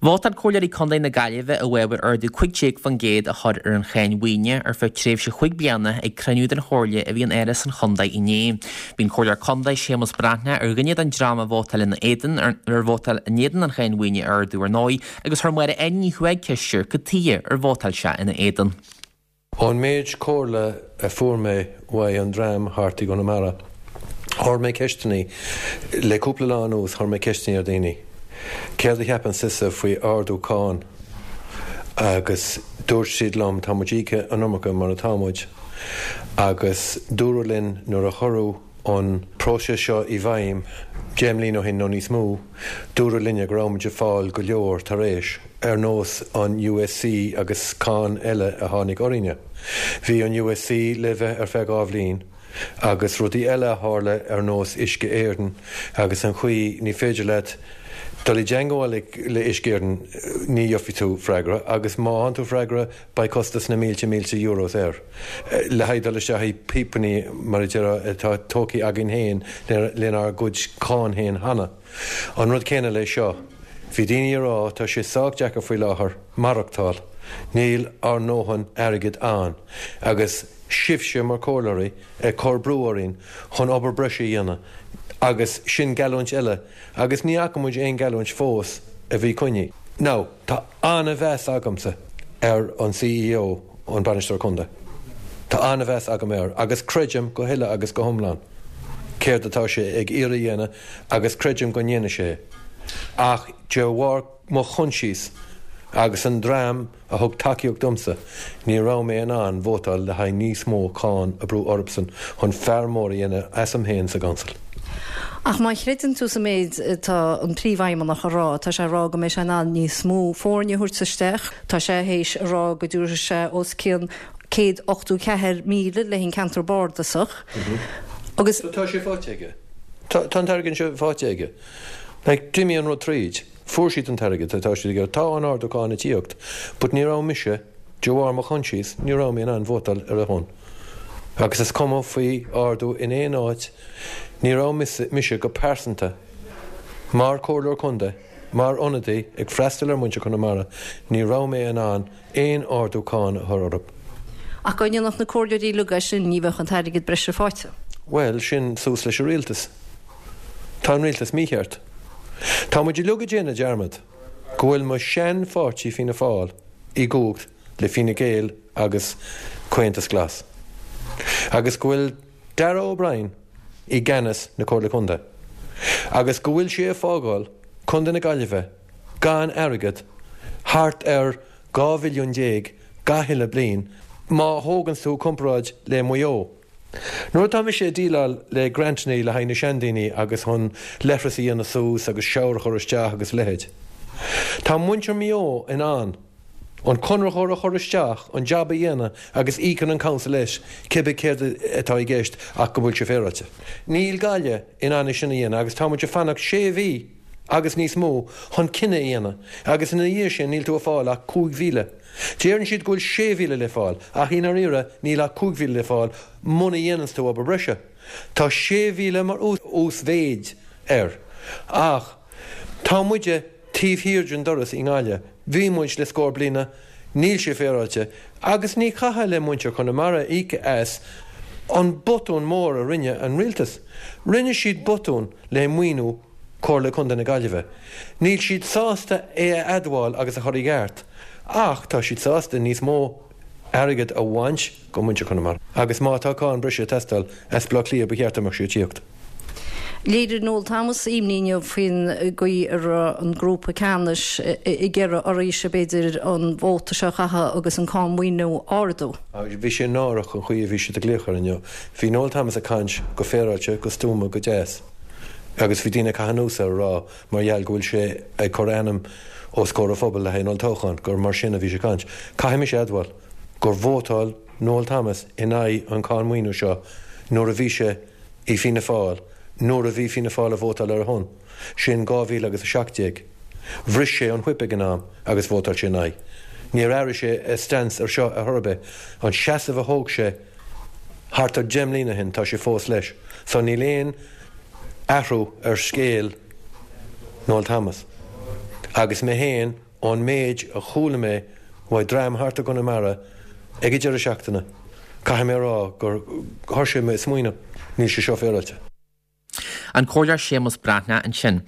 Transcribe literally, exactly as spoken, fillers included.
Vótáil Comhairleoirí Contae na Gaillimhe i bhfabhar ardú cúig déag faoin gcéad a chur ar an cháin mhaoine ar feadh tréimhse chúig bliana ag cruinniú den Chomhairle a bhí in Áras an Chontae inné. Bhí an Comhairleoir Contae Séamus Breathnach ar dhuine den dream a vótáil ina éadan ar vótáil in éadan an cháin mhaoine a ardú ar ndóigh agus chuir Máire Áine Ní Chuaig ceist air cad chuige ar vótáil sé ina éadan. Ón méid comhairle a fuair mé uaidh an dream thart i gConamara. Chuir mé ceisteanna le cúpla lá anuas chuir mé ceisteanna ar daoine. Céard a cheapann sibhse faoi ardú cáin agus dúirt siad liom tá muid íoctha an iomarca mar atá muid agus dúradh linn nuair a cuireadh an próiseas seo i bhfeidhm deich mbliana ó shin nó níos mó, dúradh linne go raibh muid ag fáil go leor tar éis ar nós an USC agus cáin eile a tháinig orainne. Bhí an USC le bheith ar feadh dhá bhliain agus rudaí eile a tharla ar nós Uisce Éireann agus an chaoi ní féidir leat dul i dteagmháil le Uisce Éireann ní gheobhaidh tú freagra agus má fhaigheann tú freagra beidh costas na mílte mílte euros air. Le haghaidh dul isteach i bpíopaí mar a deir atá tógtha againn féin lenár gcuid cáin féin cheana. An rud céanna le seo. Bhí daoine ag rá tá sé sách deacair faoi láthair maireachtáil, níl ár ndóthain airgid ann, agus sibhse mar chomhairleoirí ag cur brú orainn chun obair breise a dhéanamh agus sin geallúint eile agus ní fhaca muid aon geallúint fós a bhí coinnithe. Now, tá an-mheas agamsa ar an CEO an bainisteoir contae. Tá an-mheas agam air agus creidim go huile agus go hiomlán. Céard atá sé ag iarraidh a dhéanamh agus creidim go ndéanfaidh sé. Ach de bharr mo choinsias agus an dream a thug tacaíocht domsa, ní raibh mé in ann vótáil le haghaidh níos mó cáin a bhrú orthusan chun fear mór a dhéanamh asam féin sa gcouncil. Ach má chreideann tú sa méid tá an príomhfheidhmeannach a rá, tá sé rá go mbeidh sé in ann níos mó foirne a thabhairt isteach, Tá sé théis a rá go dtabharfaidh sé os cionn céad ochtó ceathair míle le an ceantar bardasach. Agus tá sé faighte aige. Tá an t-airgead seo faighte aige. Like, d'imigh an rud tríd, fuair siad an t-airgead tá siad aige tá an ardú cáin ag tíocht, but ní raibh mise de bharr mo choinsias, ní raibh mé in ann vótáil ar a shon. Agus is cuma faoi ardú in aon áit, ní raibh mise, mise go pearsanta mar chomhairleoir contae, mar ionadaí ag freastal ar muintir Chonamara, ní raibh mé in ann aon ardú cáin a chur orthu. Ach go ndéanfadh na comhairleoirí uilig sin ní bheadh an t-airgead breise faighte. Well, sin suas leis an rialtas. Tá an rialtas mícheart. Tá muid uilig ag déanamh dearmad go bhfuil mo shean-pháirtí Fianna Fáil i gcumhacht le Fine Gael agus Comhaontas Glas. Agus go bhfuil Darragh O'Brien i gceannas na Comhairle Contae. Agus go bhfuil sé ag fágáil Contae na Gaillimhe gan airgead thart ar dhá mhilliún déag gach uile bliain má thógann tú comparáid le Maigh Eo. Nuair atá mise ag déileáil le grantanna le haghaidh na seandaoine agus chun leithreas a dhéanamh suas agus shower a chur isteach agus leithéid. Tá muintir Mhaigh Eo in ann an conraitheoir a chur isteach an job a dhéanamh agus íocann an council leis cibé céard atá i gceist ach go bhfuil sé féaráilte. Níl Gaillimh in ann sin a dhéanamh agus tá muid ag fanacht sé mhí agus níos mó chun cinneadh a dhéanamh agus ina dhiaidh sin níl tú ag fáil ach cúig mhíle. Deireann siad go bhfuil sé mhíle le fáil ach i ndáiríre níl ach cúig mhíle le fáil muna dhéanann tú obair breise. Tá sé mhíle mar uasmhéid air. Ach tá muide taobh thiar den doras i nGaillimh, bhí muid le scór bliana, níl sé féaráilte, agus ní chaithfidh le muintir Chonamara íoc as an botún mór a rinne an rialtas. Rinne siad botún le maoiniú Comhairle Contae na Gaillimhe. Níl siad sásta é a admháil agus a chur i gceart, ach tá siad sásta níos mó airgead a bhaint go muintir Chonamara. Agus má tá cáin breise ag teastáil as Baile Átha Cliath ba cheart go mbeadh sí ag tíocht. Léirigh Noel Thomas imní inniu faoin gcaoi a raibh an grúpa ceannais ag iarraidh oraibhse b'fhéidir an vóta seo a chaitheamh agus an cáin mhaoine a ardú. Bhí sé náireach an chaoi a bhí siad ag glaoch air inniu. Bhí Noel Thomas ag caint go féaráilte, go stuama, go deas. Agus bhí daoine ag caitheamh anuas air ag rá mar gheall go bhfuil sé ag cur ainm os comhair an phobail le haghaidh an olltoghcháin, gur mar sin a bhí sé ag caint. Caithfidh mise a admháil gur vótáil Noel Thomas in aghaidh an cáin mhaoiniú seo nuair a bhí sé i Fianna Fáil, nuair a bhí Fianna Fáil ag vótáil ar a shon, sin dhá mhíle agus a seacht déag. Bhris sé an whip ag an am agus vótáil sé in aghaidh. Níor athraigh sé a stance ar seo ar chor ar bith. An seasamh a thóg sé thart ar deich mbliana ó shin, tá sé fós leis. So níl aon athrú ar scéal Noel Thomas. Agus mé féin ón méid a chuala mé uaidh dream thart i gConamara ag an deireadh seachtaine, caithfidh mé a rá gur thosaigh mé ag smaoineamh, níl sé seo féaráilte. An Comhairleoir Séamus Breathnach ansin.